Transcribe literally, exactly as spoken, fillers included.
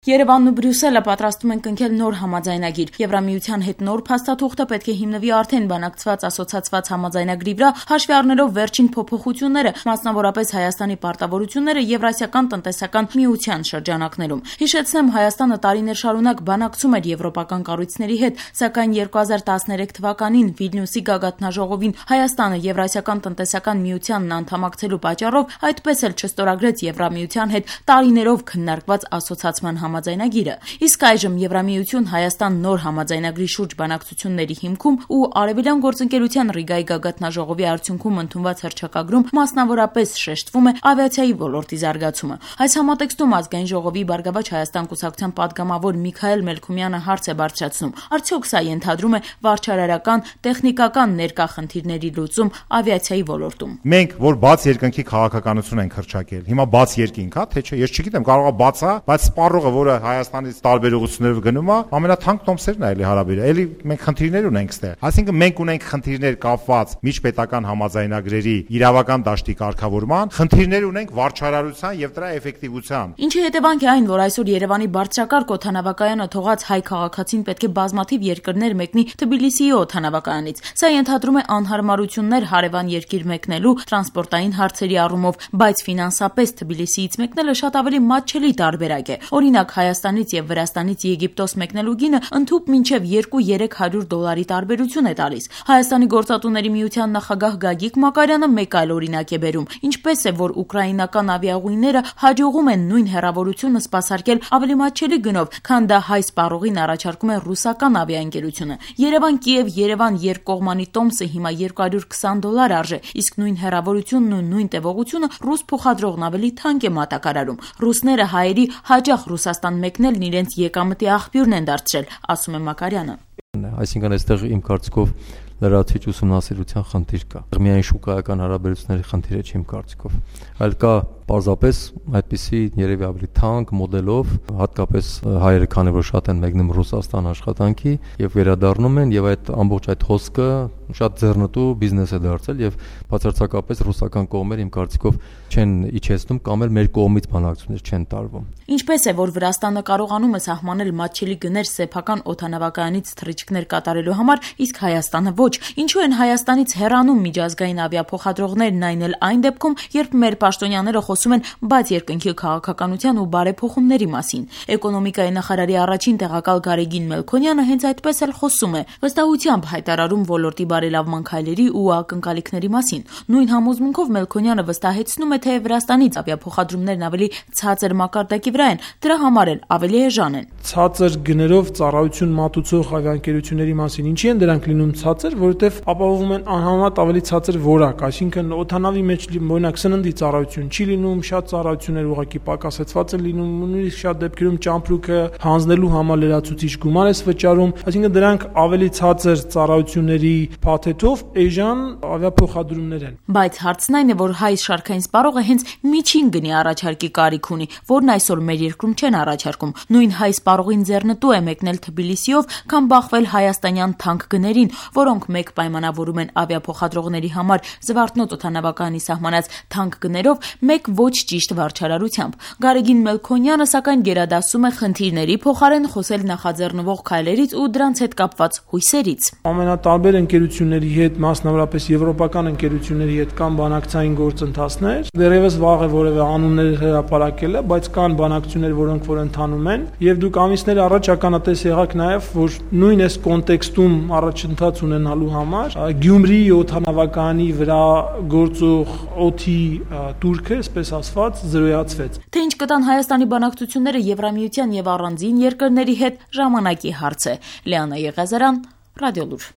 Երևանն ու Բրյուսելը պատրաստում են կնքել նոր համաձայնագիր։ Եվրամիության հետ նոր փաստաթուղթը պետք է հիմնվի արդեն բանակցված ասոցացված համաձայնագրի վրա, հաշվի առնելով վերջին փոփոխությունները, մասնավորապես Հայաստանի պարտավորությունները Եվրասիական տնտեսական միության շրջանակներում։ Հիշեցնեմ, Հայաստանը տարիներ շարունակ բանակցում էր եվրոպական կառույցների հետ, սակայն երկու հազար տասներեք թվականին Վիլնյուսի գագաթնաժողովին Հայաստանը Եվրասիական տնտեսական միությանն անդամակցելու պատճառով այդպես էլ չստորագրեց Եվրամիության հետ տարիներով քննարկված ասոցացման համաձայնագիրը։ Իսկ այժմ Եվրամիություն Հայաստան նոր համաձայնագրի շուրջ բանակցությունների հիմքում ու Արևելյան գործընկերության Ռիգայի գագաթնաժողովի արդյունքում ընդունված հռչակագրում մասնավորապես շեշտվում է ավիացիայի ոլորտի զարգացումը։ Այս համատեքստում Ազգային ժողովի Բարգավաճ Հայաստան կուսակցության պատգամավոր Միքայել Մելքումյանը հարց է բարձրացնում. արդյոք սա ենթադրում է վարչարարական, տեխնիկական ներկա խնդիրների լուծում ավիացիայի ոլորտում։ Մենք որ բաց երկնքի քաղաքականություն ենք հռչակել։ Հիմա բաց երկինք, հա, թե չէ, ես չգիտեմ, կարող է բաց է, բայց սպառողը որը Հայաստանից տարբեր ուղղություններով գնում է, ամենաթանկ տոմսերն է էլի հարաբերը։ Էլի մենք խնդիրներ ունենք ստեղ։ Այսինքն մենք ունենք խնդիրներ կապված միջպետական համաձայնագրերի իրավական դաշտի կարգավորման, խնդիրներ ունենք վարչարարության եւ դրա էֆեկտիվության։ Ինչի հետևանք է այն, որ այսօր Երևանի բարձրակարգ օդանավակայանը թողած հայ քաղաքացին պետք է բազմաթիվ երկրներ մեկնի Թբիլիսիի օդանավակայանից։ Սա ենթադրում է անհարմարություններ հարևան երկիր մեկնելու տրանսպորտային հարցերի առումով, բայց ֆինանսապես Թբիլիսիից մեկնելը շատ ավելի մատչելի տարբերակ է։ Օրինակ Հայաստանից եւ Վրաստանից Եգիպտոս մեկնելու գինը ընդհուպ մինչեւ երկու-երեք հարյուր դոլարի տարբերություն է տալիս։ Հայաստանի գործատուների միության նախագահ Գագիկ Մակարյանը մեկ այլ օրինակ է բերում, ինչպես է, որ ուկրաինական ավիաուղիները հաջողում են նույն հեռավորությունը սպասարկել ավելի մատչելի գնով, քան դա հայ սպառողին առաջարկում է ռուսական ավիաընկերությունը։ Երևան-Կիև Երևան երկկողմանի տոմսը հիմա երկու հարյուր քսան դոլար արժե, իսկ նույն հեռավորությունն ու նույն տևողությունը ռուս փոխադրողն ավելի թանկ է մատակարարում։ Ռուսները հայերի հաճախ Ռուսաստան մեկնելն իրենց եկամտի աղբյուրն են դարձրել, ասում է Մակարյանը։ Այսինքն այստեղ իմ կարծիքով լրացիչ ուսումնասիրության խնդիր կա։ Միայն շուկայական հարաբերությունների խնդիր է իմ կարծիքով, այլ կա պարզապես այդպիսի երևի ավելի թանկ մոդելով, հատկապես հայերը, քանի որ շատ են մեկնում Ռուսաստան աշխատանքի եւ վերադառնում են, եւ այդ ամբողջ այդ հոսքը շատ ձեռնտու բիզնես է դարձել եւ բացարձակապես ռուսական կողմերը իմ կարծիքով չեն իջեցնում կամ էլ մեր կողմից բանակցություններ չեն տարվում։ Ինչպես է, որ Վրաստանը կարողանում է սահմանել մատչելի գներ սեփական օդանավակայանից թռիչքներ կատարելու համար, իսկ Հայաստանը ոչ։ Ինչու են Հայաստանից հեռանում միջազգային ավիափոխադրողներն այն էլ այն դեպքում, երբ մեր պաշտոնյաները խոսում են բաց երկնքի քաղաքականության ու բարեփոխումների մասին։ Էկոնոմիկայի նախարարի առաջին տեղակալ Գարեգին Մելքոնյանը հենց այդպես էլ խոսում է, վստահությամբ հայտարարում ոլորտի բարելավման քայլերի ու ակնկալիքների մասին։ Նույն համոզմունքով Մելքոնյանը վստահեցնում է, թե Վրաստանից ավիափոխադրումներն ավելի ցածր մակարդակի վրա են, դրա համար էլ ավելի էժան են։ Ցածր գներով ծառայություն մատուցող ավիաընկերությունների մասին ինչի են դրանք լինում ցածր, որովհետև ապահովում են անհամեմատ ավելի ցածր որակ, այսինքն օդանավի մեջ օրինակ սննդի ծառայություն չի լինում, շատ ծառայություններ ուղղակի պակասեցված են լինում, նույնիսկ շատ դեպքերում ճամպրուկը հանձնելու համար լրացուցիչ գումար է վճարում, այսինքն դրանք ավելի ցածր ծառայությունների փաթեթով էժան ավիափոխադրումներ են։ Բայց հարցն այն է, որ հայ շարքային սպառողը հենց միջին գնի առաջարկի կարիք ունի, որն այսօր մեր երկրում չեն առաջարկում։ Նույն հայ սպառողին ձեռնտու է մեկնել Թբիլիսիով, կամ բախվել հայաստանյան թանկ գներին, որոնք մեկ պայմանավորում են ավիափոխադրողների համար Զվարթնոտ օդանավակայանի սահմանած թանկ գներով, մեկ ոչ ճիշտ վարչարարությամբ։ Գարեգին Մելքոնյանը սակայն գերադասում է խնդիրների փոխարեն խոսել նախաձեռնվող քայլերից ու դրանց հետ կապված հույսերից։ Ամենատարբեր ընկերությունների հետ, մասնավորապես եվրոպական ընկերությունների հետ կան բանակցային գործընթացներ։ Դեռևս վաղ է որևէ անուններ հրապարակելը, բայց կան բանակցություններ, որոնք որ ընթանում են, եւ դուք ամիսներ առաջ ականատես եղաք նաեւ, որ նույն այս կոնտեքստում առաջընթաց ունենալու համար Գյումրի օդանավակայանի վրա գործող օդի турքը, այսպես ասված, զրոյացվեց։ Թե ինչ կտան Հայաստանի բանակցությունները Եվրամիության եւ առանձին երկրների հետ, ժամանակի հարց է։ Լիանա Եղիազարյան, Ռադիոլուր։